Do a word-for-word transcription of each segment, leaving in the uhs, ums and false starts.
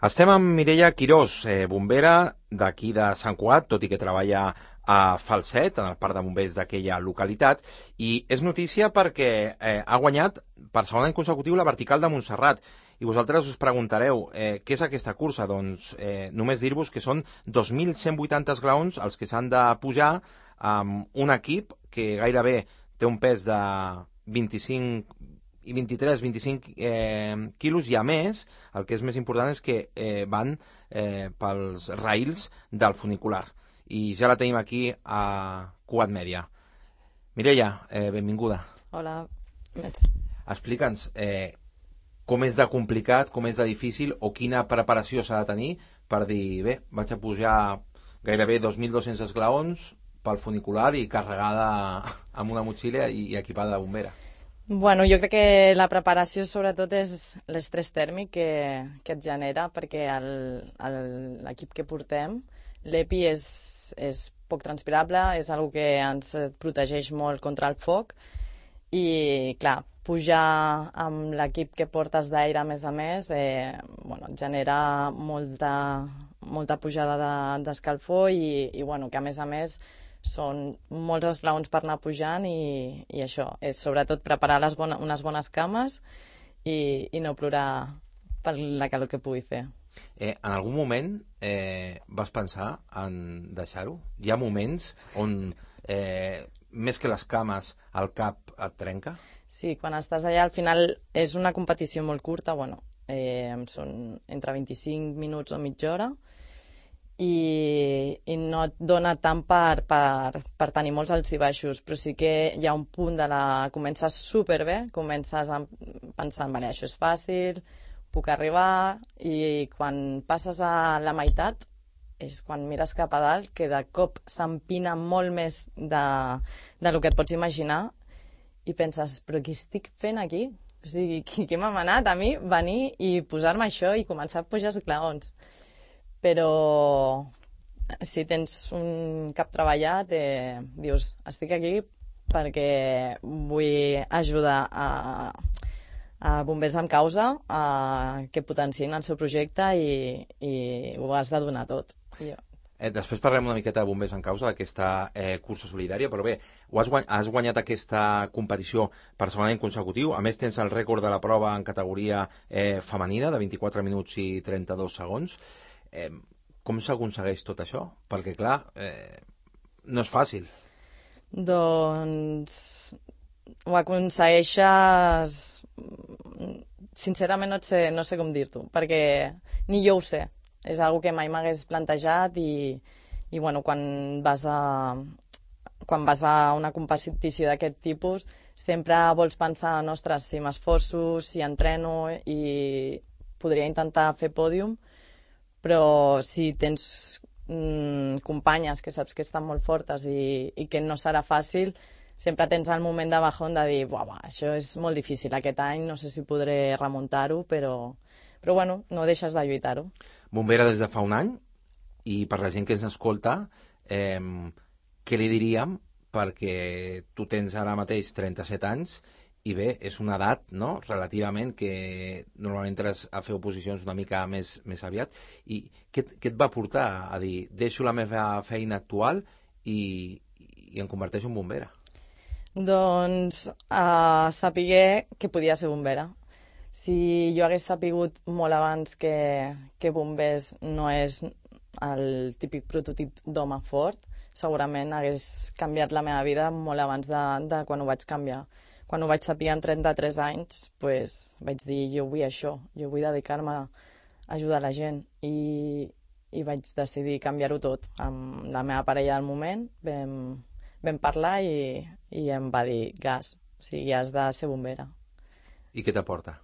Estem amb Mireia Quirós, eh, bombera d'aquí de Sant Cugat, tot i que treballa a Falset, en el parc de bombers d'aquella localitat, i és notícia perquè eh, ha guanyat per segon any consecutiu la vertical de Montserrat. I vosaltres us preguntareu, eh, què és aquesta cursa? Doncs eh, només dir-vos que són dos mil cent vuitanta esglaons els que s'han de pujar amb un equip que gairebé té un pes de vint-i-cinc i vint-i-tres vint-i-cinc eh, quilos, i a més, el que és més important és que eh, van eh, pels rails del funicular. I ja la tenim aquí a Cugat Mèdia. Mireia, eh, benvinguda. Hola. Merci. Explica'ns eh, com és de complicat, com és de difícil, o quina preparació s'ha de tenir per dir, bé, vaig a pujar gairebé dos mil dos-cents esglaons pel funicular i carregada amb una motxilla i, i equipada de bombera. Bueno, jo crec que la preparació sobretot és l'estrès tèrmic que, que et genera, perquè l'equip que portem, l'E P I és, és poc transpirable, és una que ens protegeix molt contra el foc, i clar, pujar amb l'equip que portes d'aire a més a més, eh, bueno, genera molta, molta pujada d'escalfor de, i, i bueno, que a més a més són molts esglaons per anar pujant, i, i això, és sobretot preparar les bona, unes bones cames i, i no plorar per la calor que pugui fer. Eh, en algun moment eh, vas pensar en deixar-ho? Hi ha moments on eh, més que les cames el cap et trenca? Sí, quan estàs allà al final és una competició molt curta, bueno, eh, són entre vint-i-cinc minuts o mitja hora, I, i no et dona tant per, per, per tenir molts alts i baixos, però sí que hi ha un punt de la... Comences superbé, comences pensant, vale, això és fàcil, puc arribar, i quan passes a la meitat és quan mires cap a dalt, que de cop s'empina molt més de, de lo que et pots imaginar, i penses, però què estic fent aquí? O sigui, què m'ha manat a mi venir i posar-me això i començar a pujar esglaons? Però si tens un cap treballat, eh, dius, estic aquí perquè vull ajudar a, a bombers amb causa a que potenciïn el seu projecte, i, i ho has de donar tot. Jo. Eh, després parlem una miqueta de bombers en causa, d'aquesta eh, cursa solidària, però bé, ho has, guany has guanyat aquesta competició per segon any consecutiu. A més, tens el rècord de la prova en categoria eh, femenina, de vint-i-quatre minuts i trenta-dos segons. Eh, com s'aconsegueix tot això? Perquè, clar, eh, no és fàcil. Doncs ho aconsegueixes... Sincerament no, sé, no sé com dir-t'ho, perquè ni jo ho sé. És una que mai m'hagués plantejat, i, i bueno, quan vas a, quan vas a una competició d'aquest tipus sempre vols pensar, ostres, si m'esforço, si entreno, i podria intentar fer pòdium, però si tens mm, companyes que saps que estan molt fortes i, i que no serà fàcil, sempre tens el moment de bajón de dir, buah, buah, això és molt difícil aquest any, no sé si podré remuntar-ho, però, però bueno, no deixes de lluitar-ho. Bombera des de fa un any, i per la gent que ens escolta, eh, què li diríem? Perquè tu tens ara mateix trenta-set anys, i bé, és una edat, no?, relativament, que normalment entres a fer oposicions una mica més, més aviat. I què, què et va portar a dir, deixo la meva feina actual i, i em converteixo en bombera? Doncs uh, sapiguer que podia ser bombera. Si jo hagués sapigut molt abans que, que bombers no és el típic prototip d'home fort, segurament hagués canviat la meva vida molt abans de, de quan ho vaig canviar. Quan ho vaig saber amb trenta-tres anys, pues, vaig dir, jo vull això, jo vull dedicar-me a ajudar la gent, i, i vaig decidir canviar-ho tot. Amb la meva parella del moment vam, vam parlar, i, i em va dir, gas, o sigui, has de ser bombera. I què t'aporta?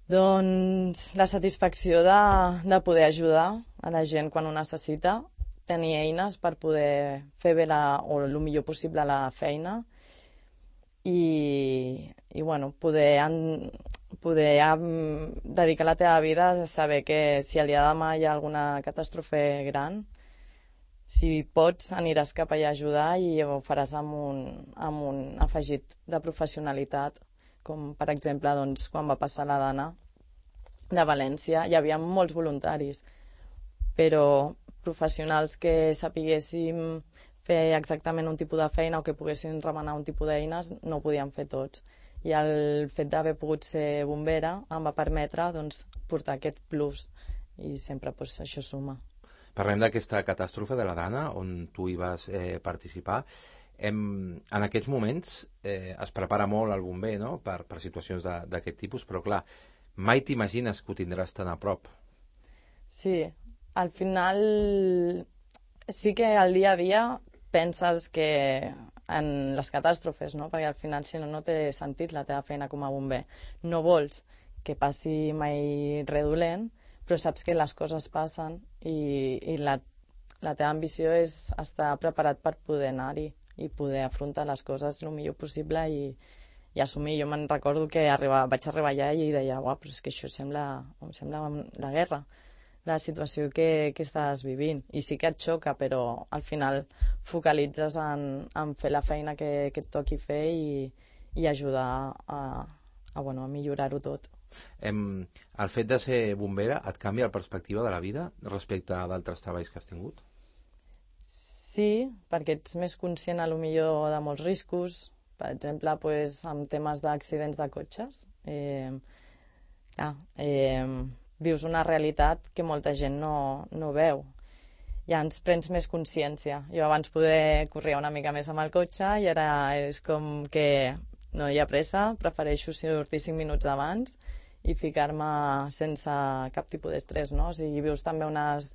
Doncs la satisfacció de, de poder ajudar a la gent quan ho necessita, tenir eines per poder fer bé la, o el millor possible la feina, i, i bueno, poder, en, poder um, dedicar la teva vida a saber que si el dia de demà hi ha alguna catàstrofe gran, si pots aniràs cap allà a ajudar, i ho faràs amb un, amb un afegit de professionalitat, com per exemple doncs, quan va passar la Dana, de València hi havia molts voluntaris, però professionals que sapiguéssim fer exactament un tipus de feina o que poguessin remenar un tipus d'eines no ho podien fer tots. I el fet d'haver pogut ser bombera em va permetre doncs, portar aquest plus i sempre doncs, això suma. Parlem d'aquesta catàstrofe de la Dana, on tu hi vas eh, participar. Hem, en aquests moments eh, es prepara molt el bomber, no?, per, per situacions d'aquest tipus, però clar, mai t'imagines que ho tindràs tan a prop. Sí, al final sí que al dia a dia penses que en les catàstrofes, no? Perquè al final si no no té sentit la teva feina com a bomber. No vols que passi mai res dolent, però saps que les coses passen i, i la, la teva ambició és estar preparat per poder anar-hi i poder afrontar les coses el millor possible i, i assumir. Jo me'n recordo que arriba, vaig arribar allà i deia, uah, però és que això sembla, em sembla la guerra, la situació que, que estàs vivint. I sí que et xoca, però al final focalitzes en, en fer la feina que, que et toqui fer i, i ajudar a, a, bueno, a millorar-ho tot. Em, el fet de ser bombera et canvia la perspectiva de la vida respecte a d'altres treballs que has tingut? Sí, perquè ets més conscient a lo millor de molts riscos, per exemple, pues, amb temes d'accidents de cotxes. Eh, clar, eh, vius una realitat que molta gent no, no veu. Ja ens prens més consciència. Jo abans poder correr una mica més amb el cotxe i ara és com que no hi ha pressa, prefereixo sortir cinc minuts abans i ficar-me sense cap tipus d'estrès, no? O sigui, vius també unes,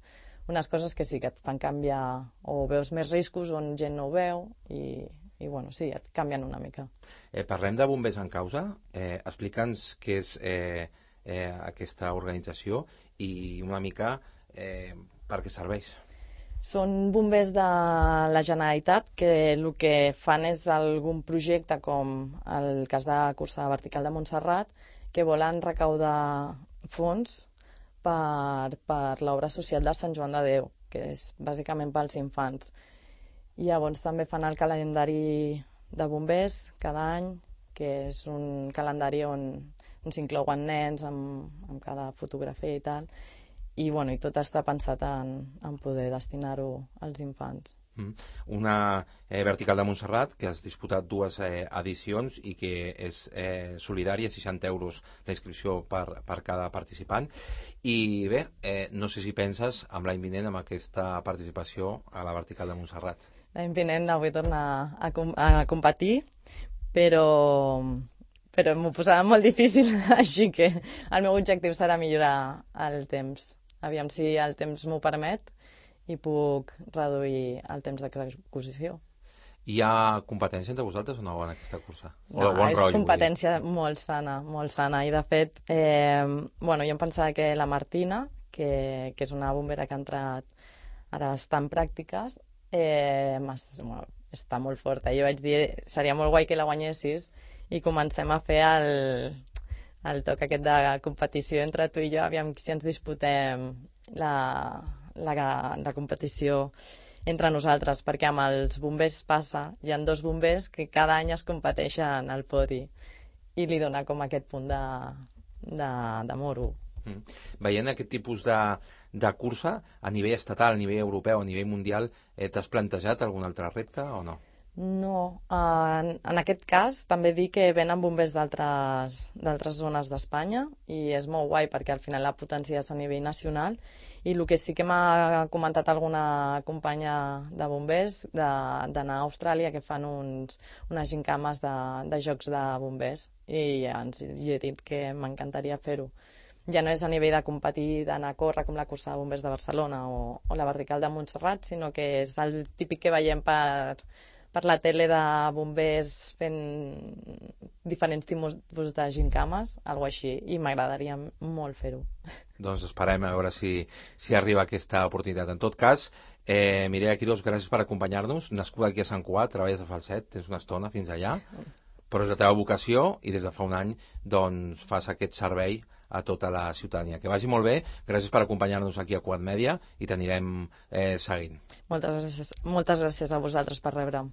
unes coses que sí que et fan canviar, o veus més riscos on gent no ho veu i, i bueno, sí, et canvien una mica. Eh, parlem de Bombers en Causa. Eh, Explica'ns què és eh, eh, aquesta organització i una mica eh, per què serveix. Són bombers de la Generalitat que el que fan és algun projecte com el cas de Cursa Vertical de Montserrat, que volen recaudar fons per, per l'obra social del Sant Joan de Déu, que és bàsicament pels infants. I llavors també fan el calendari de bombers cada any, que és un calendari on, on s'inclouen nens amb, amb cada fotografia i tal, i, bueno, i tot està pensat en, en poder destinar-ho als infants. Mm. Una eh, Vertical de Montserrat que has disputat dues eh, edicions i que és eh, solidària, seixanta euros la inscripció per, per cada participant. I bé, eh, no sé si penses amb l'any vinent amb aquesta participació a la Vertical de Montserrat. L'any vinent no vull tornar a, com a competir, però, però m'ho posarà molt difícil, així que el meu objectiu serà millorar el temps. Aviam si el temps m'ho permet i puc reduir el temps d'execució. Hi ha competència entre vosaltres o no en aquesta cursa? No, o bon és rotllo, competència molt sana, molt sana. I de fet, eh, bueno, jo em pensava que la Martina, que, que és una bombera que ha entrat, ara està en pràctiques, eh, bueno, està molt forta. Jo vaig dir, seria molt guai que la guanyessis i comencem a fer el... el toc aquest de competició entre tu i jo, aviam si ens disputem la, la, la competició entre nosaltres, perquè amb els bombers passa, hi ha dos bombers que cada any es competeixen al podi i li dona com aquest punt de, de, de moro. Mm. Veient aquest tipus de, de cursa a nivell estatal, a nivell europeu, a nivell mundial, eh, t'has plantejat algun altre repte o no? No, en, en aquest cas també dir que venen bombers d'altres zones d'Espanya i és molt guai perquè al final la potència és a nivell nacional i el que sí que m'ha comentat alguna companya de bombers d'anar a Austràlia que fan uns, unes gincames de, de jocs de bombers i ja ens, jo he dit que m'encantaria fer-ho. Ja no és a nivell de competir, d'anar a córrer com la cursa de bombers de Barcelona o, o la Vertical de Montserrat, sinó que és el típic que veiem per... per la tele de bombers fent diferents tipus de gincames, alguna així, i m'agradaria molt fer-ho. Doncs esperem a veure si, si arriba aquesta oportunitat. En tot cas, eh, Mireia Quirós, gràcies per acompanyar-nos. Nascuda aquí a Sant Cugat, treballes a Falset, tens una estona fins allà, però és la teva vocació i des de fa un any doncs, fas aquest servei a tota la ciutadania. Que vagi molt bé, gràcies per acompanyar-nos aquí a Cugat Mèdia i t'anirem eh, seguint. Moltes gràcies, moltes gràcies a vosaltres per rebre'm.